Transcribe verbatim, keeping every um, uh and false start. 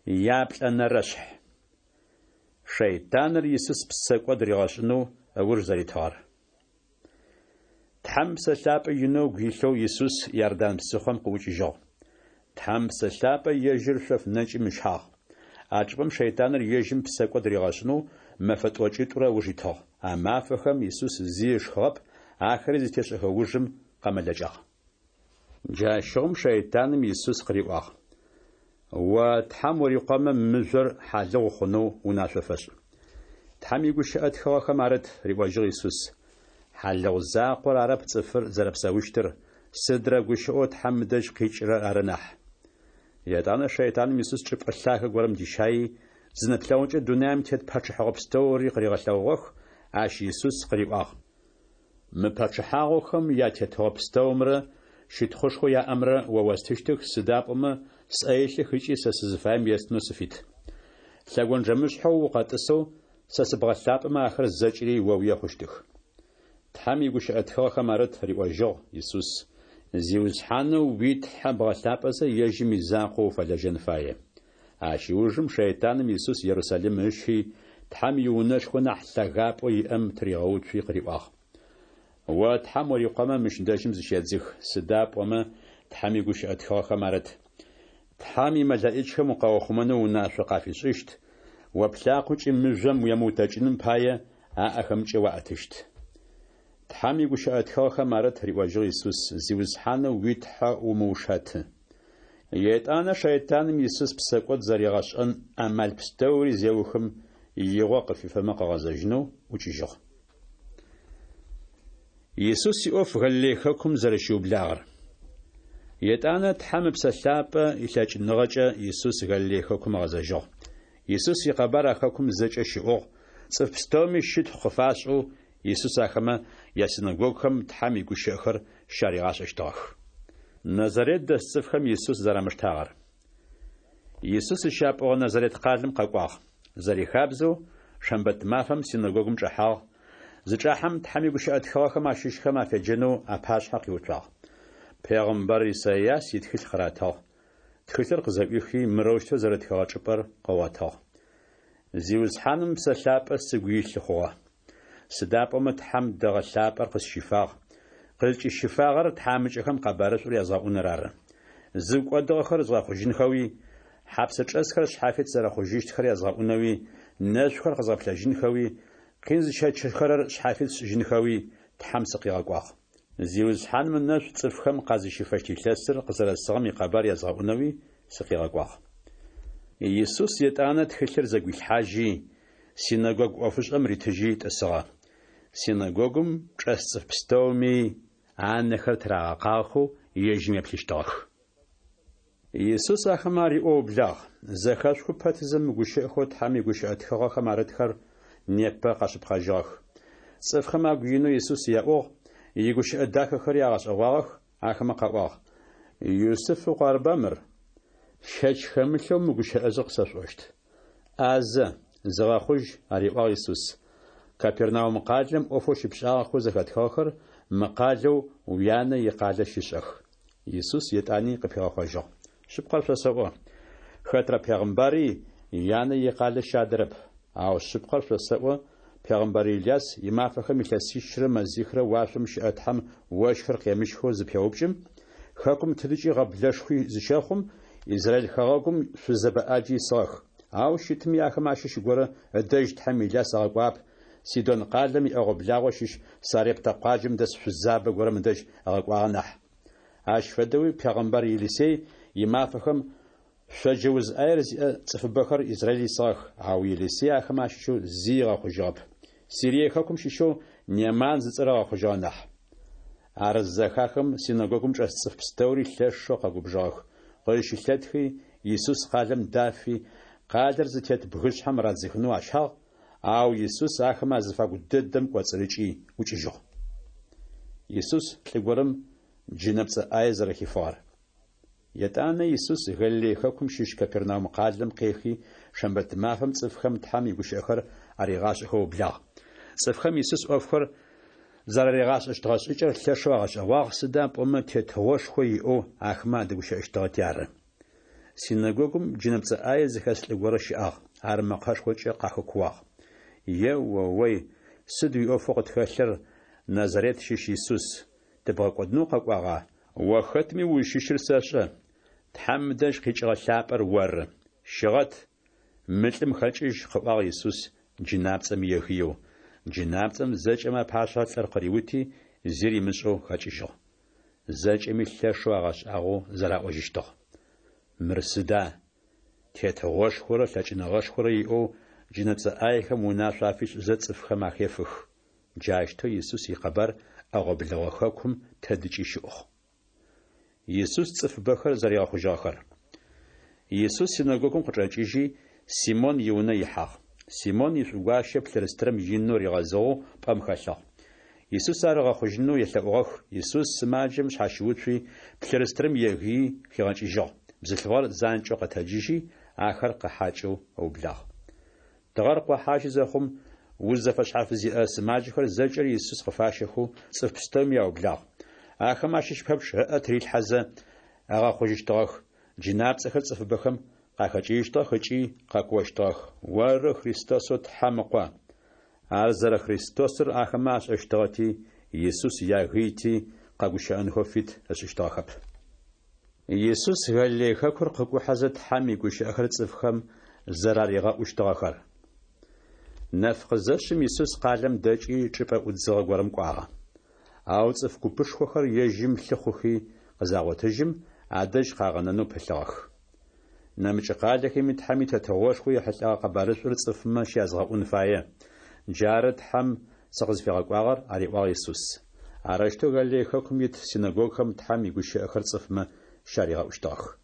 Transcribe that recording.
Яплӏэнэрэшъхь. Шэйтаныр Исус псэкӏод ригъэшӏынэу ыуж зэритыгъэр. Тхьэм Псэ Лъапӏэ инэу ыгу илъэу Исус Иордан псыхъом къыӏукӏыжьыгъ. Тхьэм Псэ Лъапӏэ ежьыр шъоф нэкӏым ыщагъ. А чӏыпӏэм шэйтаныр ежьым псэкӏод ригъэшӏынэу мэфэ тӏокӏитӏурэ ыуж итыгъ. А мафэхэм Исус зи ышхыгъэп, ахэри зытешӏэхэ ужым къэмэлэкӏагъ. Джащыгъум шэйтаным Исус къыриӏуагъ: О Тхьэм урикъомэ, мыжъор хьалыгъу хъунэу унашъо фэшӏ. Тхьэм игущыӏэ тхыгъэхэм арыт, риӏожьыгъ Исус. Хьалыгъу закъор арэп цӏыфыр зэрэпсэущтыр, сыдрэ гущыӏэу Тхьэм ыдэжь къикӏырэр ары нахь. Етӏанэ шэйтаным Исус чӏыпӏэ лъагэ горэм дищаий, зы нэплъэгъукӏэ дунаим тет пачъыхьэгъо пстэури къыригъэлъэгъугъэх, ащ Исус къыриӏуагъ: Мы пачъыхьагъохэм ятетыгъо пстэумрэ щытхъушхоу яӏэмрэ о остыщтых, сыда пӏомэ сӏэ илъых ыкӏи сэ сызыфаем естынэу сыфит. Лъэгонджэмышъхьэу укъэтӏысэу сэ сыбгъэлъапӏэмэ ахэр зэкӏэри оуе хъущтых. Тхьэм игущыӏэ тхыгъэхэм арыт, риӏожьыгъ Исус, Зиусхьанэу уи Тхьэ бгъэлъапӏэзэ ежьым изакъоу уфэлэжьэн фае. Ащ ыужым шэйтаным Исус Ерусалим ыщи, Тхьэм иунэшхо нахь лъэгапӏэу иӏэм тыригъэуцуи къыриӏуагъ: О Тхьэм урикъомэ мыщ дэжьым зыщедзых, сыда пӏомэ Тхьэм игущыӏэ тхыгъэхэм арыт: Тхьэм имэлэӏичхэм укъаухъумэнэу унашъо къафишӏыщт, о плъакъокӏи мыжъом уемыутэкӏыным пае аӏэхэмкӏэ уаӏэтыщт. Тхьэм игущыӏэ тхыгъэхэм арыт, риӏожьыгъ Исус, Зиусхьанэу уи Тхьэ умыушэты. Етӏанэ шэйтаным Исус псэкӏод зэригъэшӏэн амал пстэури зеухым, игъо къыфифэмэ къыгъэзэжьынэу ӏукӏыжьыгъ. Исус иӏоф Галилей хэкум зэрэщиублагъэр. Етӏанэ Тхьэм Ыпсэ Лъапӏэ илъэкӏыныгъэкӏэ Исус Галилей хэкум ыгъэзэжьыгъ. Исус икъэбар а хэкум зэкӏэ щыӏугъ, цӏыф пстэуми щытхъу къыфашӏэу Исус ахэмэ ясинэгогухэм Тхьэм игущыӏэхэр щаригъашӏэщтыгъэх. Назарет дэс цӏыфхэм Исус зэрамыштагъэр. Исус зыщапӏугъэ Назарет къалэм къэкӏуагъ. Зэрихабзэу, шэмбэт мафэм синэгогум чӏэхьагъ, зычӏахьэм Тхьэм игущыӏэ тхыгъэхэм ащыщхэм афеджэнэу апашъхьэ къиуцуагъ. Пегъымбар Исайас итхылъ къыратыгъ. Тхылъыр къызэӏуихи, мырэущтэу зэрытхыгъэ чӏыпӏэр къыгъотыгъ. Зиусхьаным Псэ Лъапӏэ сыгу илъы хъугъэ. Сыда пӏомэ Тхьэм дэгъэ лъапӏэр къысщифагъ. Къызкӏысщифагъэр тхьамыкӏэхэм къэбарышӏур язгъэӏуныр ары. Зыгу кӏодыгъэхэр згъэхъужьынхэуи, хьапсэ чӏэсхэр шъхьафит зэрэхъужьыщтхэр язгъэӏунэуи, нэшъухэр къэзгъэплъэжьынхэуи, къин зыщэчыхэрэр шъхьафит сшӏыжьынхэуи Тхьэм сыкъигъэкӏуагъ. Зиусхьаным ынэшӏу цӏыфхэм къазыщифэщт илъэсыр къызэрэсыгъэм икъэбар язгъэӏунэуи сыкъигъэкӏуагъ. Исус етӏанэ тхылъыр зэгуилъхьажьи, синэгогу ӏофышӏэм ритыжьи тӏысыгъэ. Синэгогум чӏэс цӏыф пстэуми анэхэр тырагъэкъагъэхэу ежьым еплъыщтыгъэх. Исус ахэмэ ариӏоу ыублагъ: Зэхэшъухы пэтызэ мы гущыӏэхэу Тхьэм игущыӏэ тхыгъэхэм арытхэр непэ къэшъыпкъэжьыгъэх. Цӏыфхэм агу инэу Исус яӏугъ, игущыӏэ дахэхэри агъэшӏэгъуагъэх, ахэмэ къаӏуагъ: Юсыф ыкъу арыба мыр? Щэч хэмылъэу мы гущыӏэжъыр къысэшъуӏощт: ӏазэ, зыгъэхъужь, ариӏуагъ Исус. Капернаум къалэм ӏофэу щыпшӏагъэхэу зэхэтхыгъэхэр мы къалэу уянэ икъалэ щышӏэх. Исус етӏани къыпигъэхъожьыгъ: Шъыпкъэр шъосэӏо, хэтрэ пегъымбари янэ икъалэ щадэрэп. Ау шъыпкъэр шъосэӏо, пегъымбар Иляс имафэхэм илъэсищрэ мэзихрэ уашъом щыӏэ Тхьэм ощхыр къемыщхэу зыпеупкӏым, хэкум тыдыкӏи гъэблэшхуи зыщэхъум, Израиль хэгъэгум шъузэбэ ӏаджи исыгъэх. Ау щытми ахэмэ ащыщ горэ ыдэжь Тхьэм Иляс ыгъэкӏуагъэп, Сидон къалэм иӏэгъо-благъо щыщ Сарептэ къуаджэм дэс шъузабэ горэм ыдэжь ыгъэкӏуагъэ нахь. Ащ фэдэуи пегъымбар Елисей имафэхэм шъоджэ уз ӏаер зиӏэ цӏыфыбэхэр Израиль исыгъэх, ау Елисей ахэмэ ащыщэу зи ыгъэхъужьыгъэп. Сирие хэкум щыщэу Неман зыцӏэр ыгъэхъужьыгъэ нахь. Ар зызэхахым синэгогум чӏэс цӏыф пстэури лъэшэу къэгубжыгъэх. Къызщылъэтхи, Исус къалэм дафи, къалэр зытет бгышъхьэм радзыхынэу ащагъ, ау Исус ахэмэ азыфагу дэдэм кӏоцӏырыкӏи ӏукӏыжьыгъ. Исус лӏы горэм джынэпцӏэ ӏае зэрэхифыгъэр. Етӏанэ Исус Галилей хэкум щыщ Капернаум къалэм къехи, шэмбэт мафэм цӏыфхэм Тхьэм игущыӏэхэр аригъашӏэхэу ыублагъ. Цӏыфхэм Исус ӏофхэр зэраригъашӏэщтыгъэ шӏыкӏэр лъэшэу агъэшӏэгъуагъ, сыда пӏомэ тетыгъошхо иӏэу ахэмэ адэгущыӏэщтыгъэти ары. Синэгогум джынэпцӏэ ӏае зыхэс лӏы горэ щыӏагъ. Ар мэкъэшхокӏэ къахэкуагъ. Е-о-ой, сыд уиӏофэу къытхэлъыр, Назарет щыщ Исус? Тыбгъэкӏодынэу укъэкӏуагъа? О хэтми узщыщыр сэшӏэ, Тхьэм ыдэжь къикӏыгъэ Лъапӏэр оры. Щыгъэт, мы лӏым хэкӏыжь, къыӏуагъ Исус джынапцӏэм егыеу. Джынапцӏэм зэкӏэмэ апашъхьэ лӏыр къыриути, зи римышӏэу хэкӏыжьыгъ. Зэкӏэми лъэшэу агъэшӏагъоу зэраӏожьыщтыгъ. Мыр сыда? Тетыгъошхорэ лъэкӏыныгъэшхорэ иӏэу джынэпцӏэ ӏаехэм унашъо афишӏызэ цӏыфхэм ахефых. Джаущтэу Исус икъэбар ӏэгъо-блэгъо хэкум тэдыкӏи щыӏугъ. Исус цӏыфыбэхэр зэригъэхъужьыгъэхэр. Исус синэгогум къычӏэкӏыжьи, Симон иунэ ихьагъ. Симон ишӏугуащэ плъырстырым инэу ригъэзыгъэу пӏэм хэлъыгъ. Исус ар ыгъэхъужьынэу елъэӏугъэх. Исус сымаджэм шъхьащыуцуи, плъырстырым егыий хигъэкӏыжьыгъ. Бзылъфыгъэр занкӏэу къэтэджыжьи, ахэр къыхьакӏэу ыублагъ. Тыгъэр къохьажьы зэхъум, уз зэфэшъхьаф зиӏэ сымаджэхэр зэкӏэри Исус къыфащэхэу цӏыф пстэуми аублагъ. Ахэм ащыщ пэпчъ ыӏэ тырилъхьэзэ, агъэхъужьыщтыгъэх, джынапцӏэхэр цӏыфыбэхэм къахэкӏыжьыщтыгъэх ыкӏи къэкуощтыгъэх: Оры Христосэу Тхьэм Ыкъо! Ар зэрэ Христосыр ахэмэ ашӏэщтыгъэти, Исус ягыйти, къэгущыӏэнхэу фит ышӏыщтыгъэхэп. Исус Галилей хэкур къыкӏухьэзэ Тхьэм игущыӏэхэр цӏыфхэм зэраригъэӏущтыгъэхэр. Нэф къызэшъым Исус къалэм дэкӏи, чӏыпӏэ ӏудзыгъэ горэм кӏуагъэ. Ау цӏыф купышхохэр ежьым лъыхъухи къызагъотыжьым, адэжь къагъэнэнэу пылъыгъэх. Нэмыкӏ къалэхэми Тхьэм и Тетыгъошхо ехьылӏэгъэ къэбарышӏур цӏыфмэ щязгъэӏун фае. Джары Тхьэм сыкъызфигъэкӏуагъэр, ариӏуагъ Исус. Арэущтэу Галилей хэкум ит синэгогухэм Тхьэм игущыӏэхэр цӏыфмэ щаригъэӏущтыгъэх.